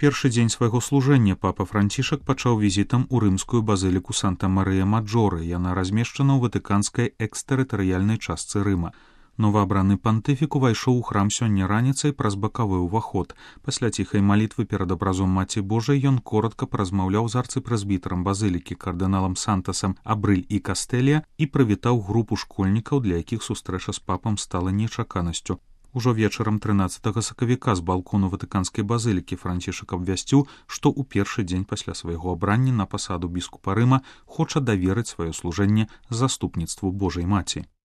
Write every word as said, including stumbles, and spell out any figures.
Першы дзень свайго служэння папа Францішак пачаў візітам у рымскую базыліку Санта-Марыя-Маджоры. Яна размешчана ў ватыканскай экстэрытарыяльнай частцы Рыма. Новаабраны пантыфік увайшоў у храм сёння раніцай праз бакавы ўваход. Пасля ціхай малітвы перад абразом Маці Божай ён коратка паразмаўляў з арцыпрэзбітарам базылікі кардыналам Сантасам Абрыль і Кастэлія і прывітаў групу школьнікаў, для якіх сустрэча з папам стала нечаканасцю. Ужо вечарам трынаццатага сакавіка з балкону ватыканскай базылікі Францішак абвясціў, што ў першы дзень пасля свайго абрання на пасаду біскупа Рыма хоча даверыць сваё служэнне заступніцтву Божай Маці.